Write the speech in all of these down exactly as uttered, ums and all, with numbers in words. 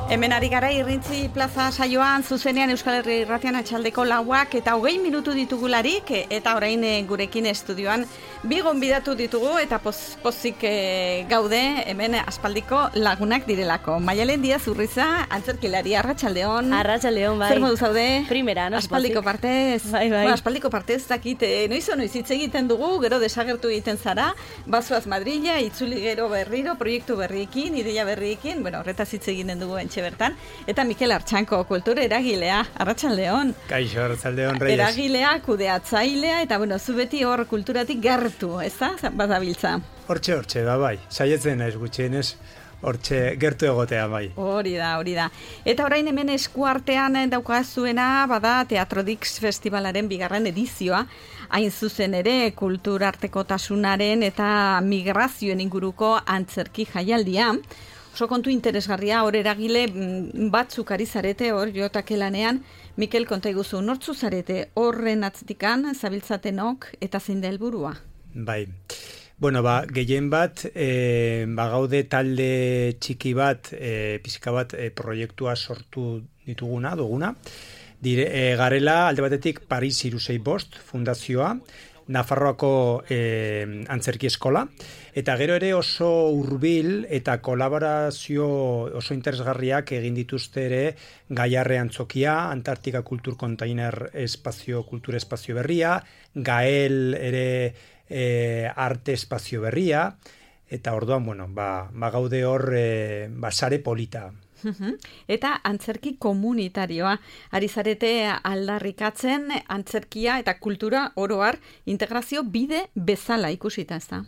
Hemen ari gara Irrintzi plaza saioan, zuzenean Euskal Herri Irratian atxaldeko lauak eta hogei minutu ditugularik, eta orain gurekin estudioan bi gonbidatu ditugu eta poz, pozik e, gaude hemen aspaldiko lagunak direlako. Maialen Diaz Urriza, antzerkilari, arratsaldeon. Arratsaldeon, bai. Zer modu zaude? Primera, no? Aspaldiko partez. Bai, bai. Bueno, aspaldiko partez dakit, noizo noiz hitz egiten dugu, gero desagertu egiten zara, bazoaz Madrila, itzuli gero berriro, proiektu berriekin, ideia berriekin, bueno, horretaz hitz egiten dugu entxe bertan, eta Mikel Artxanko, kultura eragilea, arratsaldeon. Kaixo, arratsaldeon, Reyes. Eragilea, kudeatzailea, eta bueno, zu beti hor kulturatik gertu, ez da, badabiltza? Hortxe, hortxe, ba, bai, saietzen naiz gutxienez, hortxe gertu egotea, bai. Hori da, hori da. Eta orain hemen eskuartean daukazuena, bada Teatrodix Festivalaren bigarren edizioa, hain zuzen ere kulturartekotasunaren eta migrazioen inguruko antzerki jaialdia. Oso kontu interesgarria, hor eragile batzuk ari zarete, hor jotake lanean. Mikel, konta iguzu, nortzu zarete horren atzetikan, zabiltzatenok eta zein da helburua? Bai, bueno, ba, gehien bat, e, ba, gaude talde txiki bat, e, pizka bat e, proiektua sortu dituguna, duguna. Dire, e, garela, alde batetik, Paris Irusei Bost fundazioa, Nafarroako e, antzerki eskola, eta gero ere oso hurbil eta kolaborazio oso interesgarriak egin dituzte ere Gaiarre Antzokia, Antartika Kultur Container Espazio, Kultur Espazio Berria, Gael ere e, Arte Espazio Berria, eta orduan, bueno, ba, ba gaude hor e, ba, sare polita. Eta antzerki komunitarioa, ari zarete aldarrikatzen antzerkia eta kultura oroar integrazio bide bezala ikusita, ez da?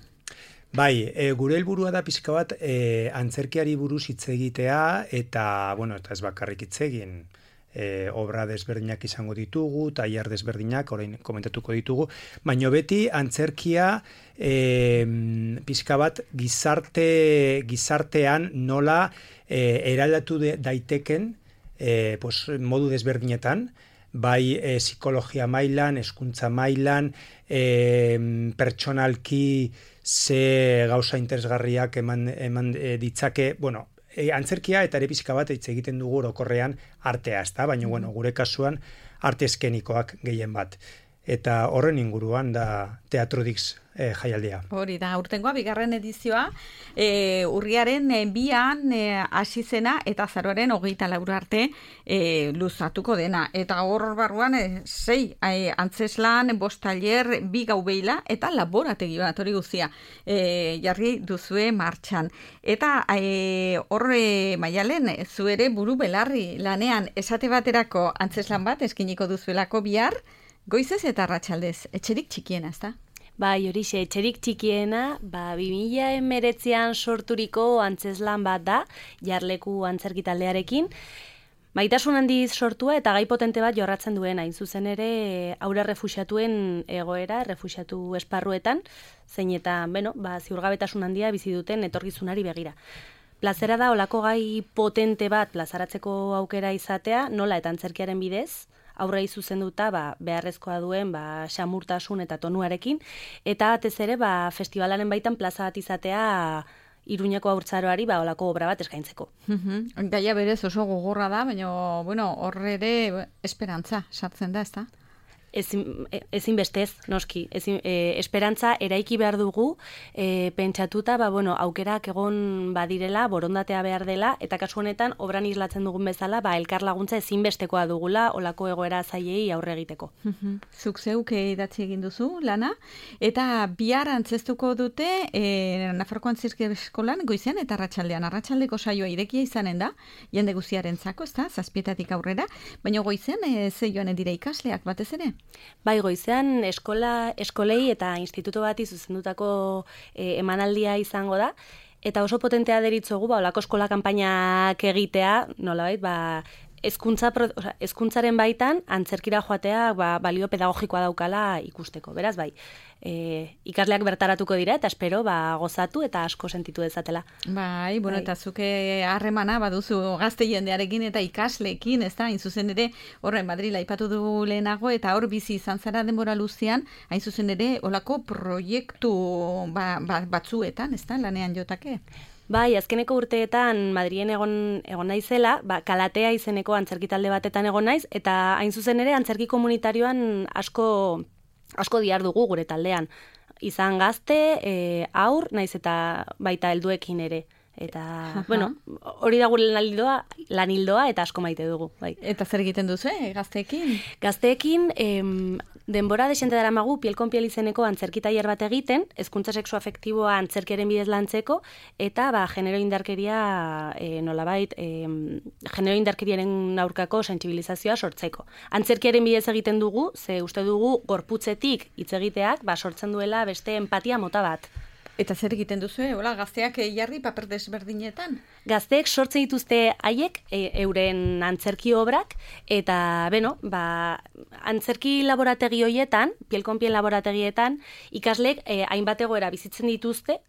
Bai, e, gure helburua da pixka bat e, antzerkiari buruz hitz egitea eta, bueno, eta ez bakarrik hitz egin, e, obra desberdinak izango ditugu, tailer desberdinak, orain komentatuko ditugu, baina beti antzerkia e, pixka bat gizarte, gizartean nola e, eraldatu de, daiteken e, pues, modu desberdinetan, bai e, psikologia mailan, hezkuntza mailan, e, pertsonalki ze gauza interesgarriak eman, eman e, ditzake, bueno, e, antzerkia eta ere pixka bat hitz egiten dugu orokorrean artea, ezta? Baina, bueno, gure kasuan arte eskenikoak gehien bat. Eta horren inguruan da Teatrodix e, jaialdia. Hori da, urtengoa bigarren edizioa, e, urriaren e, bian e, hasi zena eta azaroaren hogeita laur arte e, luzatuko dena. Eta hor barruan e, sei e, antzeslan, bost tailer, bi gaubeila eta laborategi bat hori guztia e, jarri duzue martxan. Eta e, hor e, Maialen, zu ere buru belarri lanean esate baterako antzeslan bat eskiniko duzuelako bihar, goizez eta arratsaldez, etxerik txikiena, ez da? Bai, horixe, etxerik txikiena, ba, bi mila hemeretzian sorturiko antzeslan bat da, jarleku antzerki taldearekin. Maitasun handiz sortua eta gai potente bat jorratzen duena, hain zuzen ere haur errefuxiatuen egoera, errefuxiatu esparruetan, zein eta, beno, ba, ziurgabetasun handia bizi duten etorkizunari begira. Plazera da, olako gai potente bat plazaratzeko aukera izatea, nola eta antzerkiaren bidez, aurrei zuzenduta ba, beharrezkoa duen ba, xamurtasun eta tonuarekin, eta batez ere ba, festivalaren baitan plaza bat izatea Iruñako haurtzaroari ba, olako obra bat eskaintzeko. Mm-hmm. Gaia berez oso gogorra da, baina bueno, horre ere esperantza sartzen da, ez da? Ezin, ezin bestez, noski. Ezin, e, esperantza eraiki behar dugu, e, pentsatuta, ba, bueno, aukerak egon badirela, borondatea behar dela, eta kasu honetan, obran islatzen dugun bezala, ba, elkar laguntza ezinbestekoa dugula, olako egoera zailei aurre egiteko. Zuk zeuk idatzi egin duzu, lana, eta bihar antzestuko dute, e, Nafarroako Antzerki Eskolan, goizean eta arratsaldean. Arratsaldeko saioa irekia izanen da, jende guztiarentzako, ez da, zazpietatik aurrera, baina goizean, e, ze joanen dira ikasleak batez ere? Bai, goizean eskola, eskolei eta instituto bati zuzendutako e, emanaldia izango da, eta oso potentea deritzogu, ba, olako eskola kanpainak egitea, nolabait, ba, Ezkuntza, oza, ezkuntzaren baitan antzerkira joatea ba, balio pedagogikoa daukala ikusteko. Beraz, bai, e, ikasleak bertaratuko dira eta espero ba, gozatu eta asko sentitu dezatela. Bai, bueno, bai. Eta zuke harremana baduzu gazte jendearekin eta ikasleekin, ez da, hain zuzen ere, horren Madrila aipatu du lehenago, eta hor bizi izan zara denbora luzean, hain zuzen ere, olako proiektu ba, ba, batzuetan, ez da, lanean jotake? Bai, azkeneko urteetan Madrilen egon egon naizela, ba, Kalatea izeneko antzerki talde batetan egon naiz, eta hain zuzen ere antzerki komunitarioan asko asko dihardugu gure taldean. Izan gazte, e, aur, naiz eta baita helduekin ere. Eta, Aha. bueno, hori da gure lanildoa, lanildoa eta asko maite dugu. Bai. Eta zer egiten duzu, eh, gazteekin? Gazteekin, em, denbora desente daramagu piel kon piel izeneko antzerki tailer bat egiten, hezkuntza sexuafektiboa antzerkiaren bidez lantzeko, eta ba, genero indarkeria e, nolabait, e, genero indarkeriaren aurkako sentsibilizazioa sortzeko. Antzerkiaren bidez egiten dugu, ze uste dugu gorputzetik hitz egiteak ba, sortzen duela beste empatia mota bat. Eta zer egiten duzu, hola, gazteak jarri paper desberdinetan? Gazteek sortzen dituzte haiek e, euren antzerki obrak, eta, beno, ba, antzerki laborategi hoietan, piel kon piel laborategietan, ikasleek e, hainbat egoera bizitzen dituzte,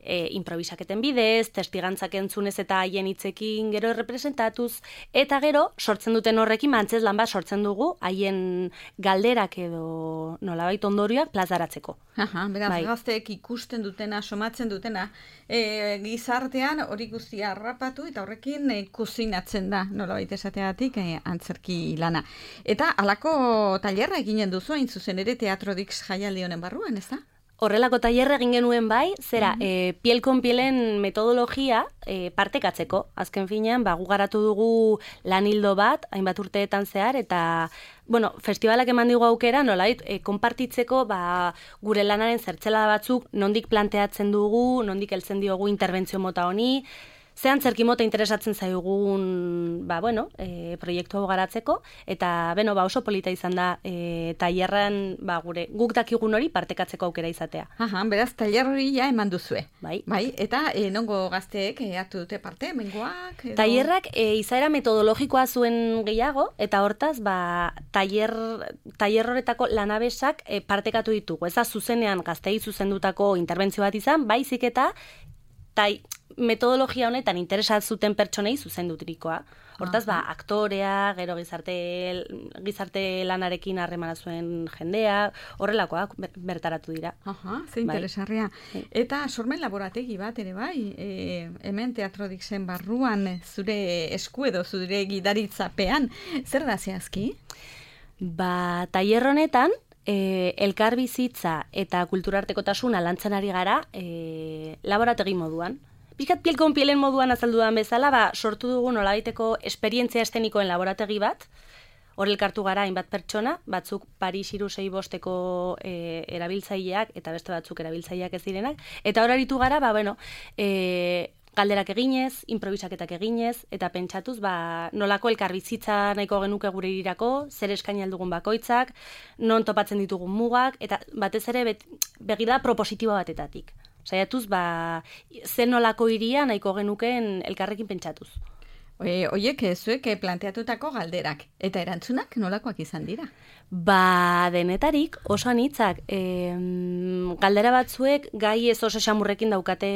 e, improvisaketen bidez, testigantzak entzunez eta haien hitzekin gero representatuz, eta gero sortzen duten horrekin antzezlan bat sortzen dugu haien galderak edo nolabait ondorioak plazaratzeko. Aha, beraz, bai. Gazteek ikusten dutena, somatzen dutena, e, gizartean hori guztia harrapatu eta horrekin e, kuzinatzen da, nolabait esateagatik e, antzerki lana. Eta halako tailerra eginen duzu, hain zuzen ere Teatrodix jaialdi honen barruan, ez da? Horrelako tailerra egin genuen bai, zera, mm -hmm. e, piel kon pielen metodologia e, partekatzeko. Azken finean, ba, gu garatu dugu lanildo bat, hainbat urteetan zehar, eta bueno, festivalak eman digu aukera, nolait, e, konpartitzeko ba, gure lanaren zertzelada batzuk, nondik planteatzen dugu, nondik heltzen diogu interbentzio mota honi, ze antzerki mota interesatzen zaigun, ba, bueno, e, proiektu hau garatzeko, eta, beno, ba, oso polita izan da, e, tailerran, ba, gure, guk dakigun hori partekatzeko aukera izatea. Aha, beraz, tailer hori ja eman duzue. Bai. Bai, eta e, nongo gazteek e, hartu dute parte, mengoak? Edo... Tailerrak e, izaera metodologikoa zuen gehiago, eta hortaz, ba, tailer, tailer horretako lanabesak e, partekatu ditugu. Ez da zuzenean gaztei zuzendutako interbentzio bat izan, baizik eta tai, metodologia honetan interesat zuten pertsonei zuzendutrikoa. Hortaz, ba, aktorea, gero gizarte, gizarte lanarekin harremana zuen jendea, horrelakoak bertaratu dira. Aha, ze interesarria. Bai. Eta sormen laborategi bat ere bai, e, hemen Teatrodixen barruan zure esku edo zure gidaritzapean, zer da zehazki? Ba, tailer honetan, E, elkarbizitza eta kulturartekotasuna lantzen ari gara e, laborategi moduan. Pizkat piel kon pielen moduan azaldudan bezala, ba, sortu dugu nolabaiteko esperientzia estenikoen laborategi bat, hor elkartu gara hainbat pertsona, batzuk Paris hiru sei bosteko e, erabiltzaileak eta beste batzuk erabiltzaileak ez direnak, eta hor aritu gara, ba, bueno, e, galderak eginez, improvisaketak eginez, eta pentsatuz, ba, nolako elkarbizitza nahiko genuke gure irirako, zer eskaini aldugun bakoitzak, non topatzen ditugun mugak, eta batez ere bet, begirada propositibo batetatik. Saiatuz, ba, zer nolako iria nahiko genuken elkarrekin pentsatuz. E, oiek, zuek planteatutako galderak, eta erantzunak nolakoak izan dira? Ba, denetarik oso anitzak. E, galdera batzuek gai ez oso xamurrekin daukate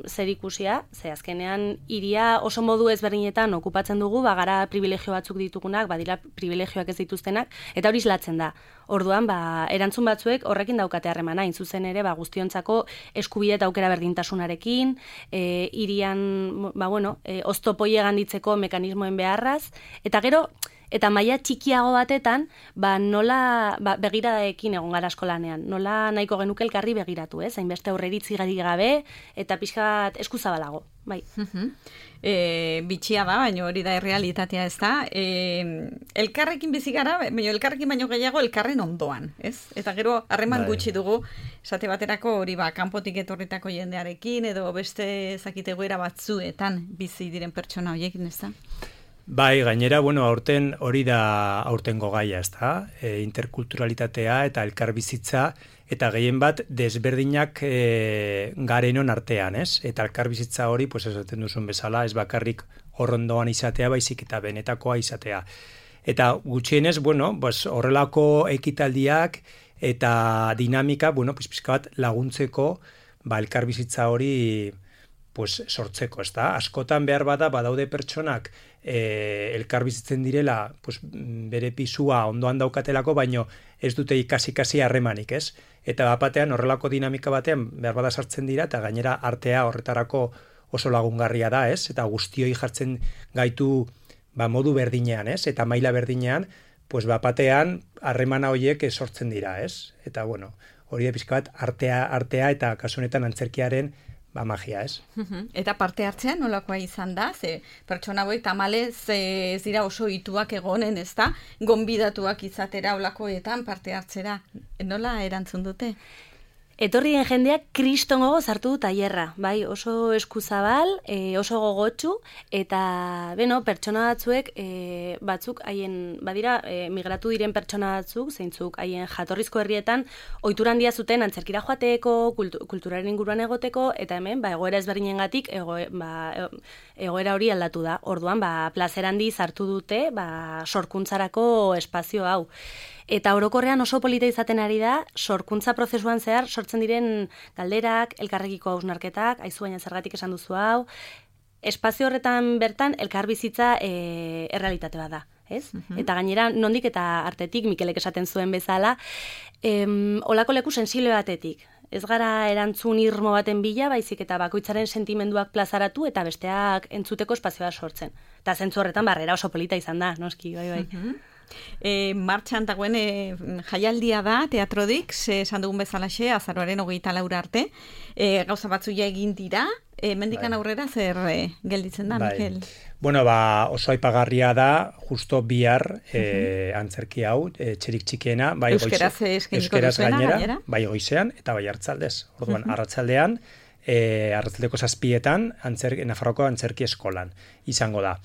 zer ikusia, ze azkenean iria oso modu ezberdinetan okupatzen dugu, ba, gara privilegio batzuk ditugunak, badira privilegioak ez dituztenak, eta hori islatzen da. Orduan, ba, erantzun batzuek horrekin daukate harremana, hain zuzen ere, ba, guztiontzako eskubide eta aukera berdintasunarekin, e, irian, ba, bueno, e, oztopoi eganditzeko mekanismoen beharraz, eta gero, eta maila txikiago batetan, ba, nola ba, begiradaekin egon gara eskolanean, nola nahiko genuke elkarri begiratu, ez? Hainbeste aurreritzi gari gabe, eta pixkat eskuzabalago, bai. Uh-huh. E, bitxia da, baina hori da errealitatea, ez da. E, elkarrekin bizi gara, baina elkarrekin baino gehiago elkarren ondoan, ez? Eta gero harreman gutxi dugu, esate baterako hori ba, kanpotik etorritako jendearekin, edo beste zakitegoera batzuetan bizi diren pertsona horiekin, ez da? Bai, gainera, bueno, aurten hori da aurtengo gaia, ez da? E, interkulturalitatea eta elkarbizitza, eta gehien bat desberdinak e, garenon artean, ez? Eta elkarbizitza hori, pues esaten duzun bezala, ez bakarrik horrondoan izatea, baizik eta benetakoa izatea. Eta gutxienez, bueno, pues horrelako ekitaldiak eta dinamika, bueno, pues pizka bat laguntzeko, ba, elkarbizitza hori pues sortzeko, ez da? Askotan behar bada, badaude pertsonak e, elkarbizitzen direla, pues, bere pisua ondoan daukatelako, baino ez dute ikasi-kasi harremanik, ez? eta bapatean horrelako dinamika batean behar bada sartzen dira, eta gainera artea horretarako oso lagungarria da, ez? Eta guztioi jartzen gaitu ba, modu berdinean, ez? Eta maila berdinean, pues bapatean harremana horiek sortzen dira, ez? Eta bueno, hori da pixka bat artea, artea eta kasu honetan antzerkiaren ba magia, ez? Eta parte hartzean nolakoa izan da? Ze pertsona hauek tamalez ez dira oso ituak egonen, ez da? Gonbidatuak izatera olakoetan parte hartzera. Nola erantzun dute? Etorrien jendeak kriston gogo zartu du tailerra, bai, oso eskuzabal, e, oso gogotsu, eta, beno, pertsona batzuek, e, batzuk, haien, badira, e, migratu diren pertsona batzuk, zeintzuk, haien jatorrizko herrietan, ohitura handia zuten antzerkira joateko, kultu, kulturaren inguruan egoteko, eta hemen, ba, egoera ezberdinengatik, ego, ba, egoera hori aldatu da. Orduan, ba, plazer handi zartu dute, ba, sorkuntzarako espazio hau. Eta orokorrean oso polita izaten ari da, sorkuntza prozesuan zehar sortzen diren galderak, elkarrekiko hausnarketak, aizu baina zergatik esan duzu hau, espazio horretan bertan elkarbizitza e, errealitate bat da, ez? Uh-huh. Eta gainera, nondik eta artetik, Mikelek esaten zuen bezala, em, olako leku sensible batetik. Ez gara erantzun irmo baten bila, baizik eta bakoitzaren sentimenduak plazaratu eta besteak entzuteko espazioa sortzen. Eta zentzu horretan barrera oso polita izan da, noski, bai, bai. Uh-huh. E, martxan dagoen e, jaialdia da Teatrodix, esan dugun bezalaxe, azaroaren hogeita laura arte, e, gauza batzuia egin dira, e, mendikan bai. Aurrera zer e, gelditzen da, bai. Mikel? Bueno, ba, oso aipagarria da, justo bihar e, uh-huh. antzerki hau, e, txerik txikiena, bai Euskeraz Euskeraz gainera, gainera, bai goizean eta bai hartzaldez. Orduan, uh-huh. arratzaldean, e, arratzaldeko zazpietan, antzerki, Nafarroko antzerki eskolan izango da.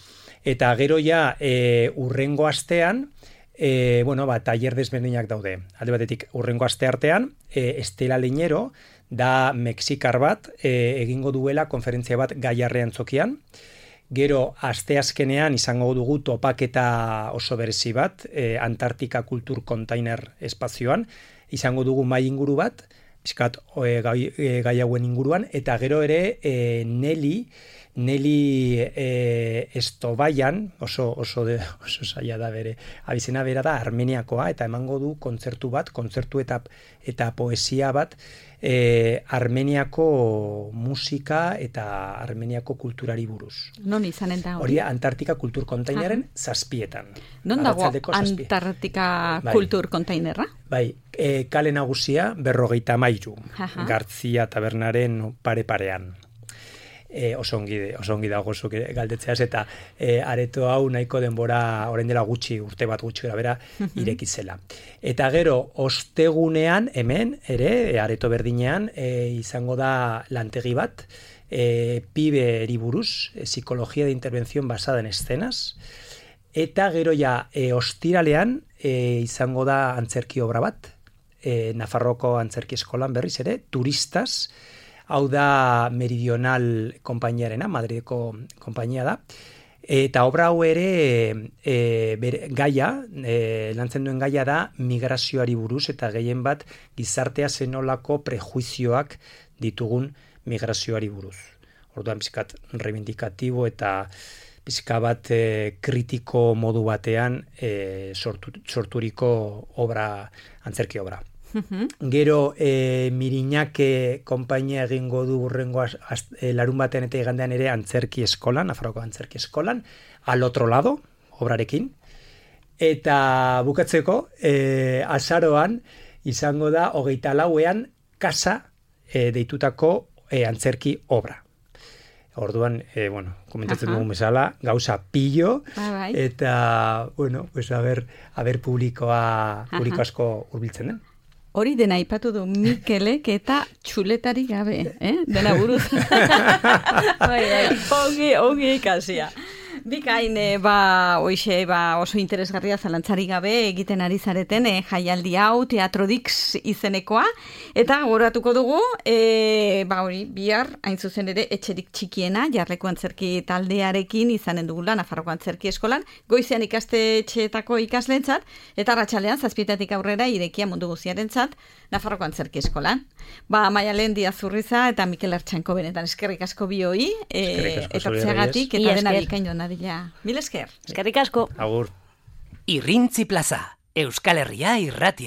Eta gero ja, e, urrengo astean, e, bueno, ba, tailer desberdinak daude. Alde batetik, urrengo aste artean, e, Estela Leñero, da Mexikar bat, e, egingo duela konferentzia bat Gaiarrean zokian. Gero, aste azkenean izango dugu topaketa oso berezi bat, e, Antartika Kultur Container espazioan, izango dugu mai inguru bat, bizkat e, gai, e, gai hauen inguruan, eta gero ere e, Nelly, Nelly e, Estobaian, oso, oso, de, oso zaila da bere, abizena bera da Armeniakoa, eta emango du kontzertu bat, kontzertu eta, eta poesia bat, e, Armeniako musika eta Armeniako kulturari buruz. Non izanen da hori? Hori Antartika Kultur Kontainerren zazpietan. Non dago Antartika bai. Kultur Kontainerra? Bai, e, kale nagusia berrogeita mairu, Gartzia tabernaren pare-parean. E, oso ongi, oso ongi dago zuk galdetzeaz, eta e, areto hau nahiko denbora orain dela gutxi, urte bat gutxi gara bera, irekizela. Eta gero, ostegunean, hemen, ere, areto berdinean, e, izango da lantegi bat, e, pibe eriburuz, e, psikologia de intervención basada en escenas, eta gero ja, e, ostiralean, e, izango da antzerki obra bat, e, Nafarroko antzerki eskolan berriz ere, turistas, hau da Meridional konpainiarena, Madrideko konpainia da, eta obra hau ere e, bere, gaia, e, lantzen duen gaia da migrazioari buruz, eta gehien bat gizartea zenolako prejuizioak ditugun migrazioari buruz. Orduan pizkat reivindikatibo eta pizka bat e, kritiko modu batean e, sortu, sorturiko obra, antzerki obra. Gero e, Miriñake konpainia egingo du urrengo e, larun batean eta igandean ere antzerki eskolan, Nafarroko antzerki eskolan, al otro lado, obrarekin. Eta bukatzeko, e, azaroan izango da hogeita lauean kasa e, deitutako e, antzerki obra. Orduan, e, bueno, komentatzen dugun bezala, gauza pillo, ba, bai. Eta, bueno, pues a ver, a ver publikoa, publiko asko hurbiltzen den. Hori dena aipatu du Mikelek eta txuletari gabe, eh? Dena buruz. Ongi, ongi ikasia. Bikain, ba, oixe, ba, oso interesgarria zalantzari gabe egiten ari zareten e, jaialdi hau Teatrodix izenekoa, eta goratuko dugu, e, ba, hori, bihar, hain zuzen ere, etxerik txikiena, jarleko antzerki taldearekin izanen dugula, Nafarroko antzerki eskolan, goizean ikastetxeetako ikaslentzat, eta arratsalean zazpietatik aurrera irekia mundu guziarentzat, Nafarroko antzerki eskolan. Ba, Maialen Diazurriza eta Mikel Artxanko benetan eskerrik asko bioi, e, eta pzeagatik, eta dena bikain dona dira. Mil esker. Eskerrik asko. Agur. Irrintzi plaza, Euskal Herria irratia.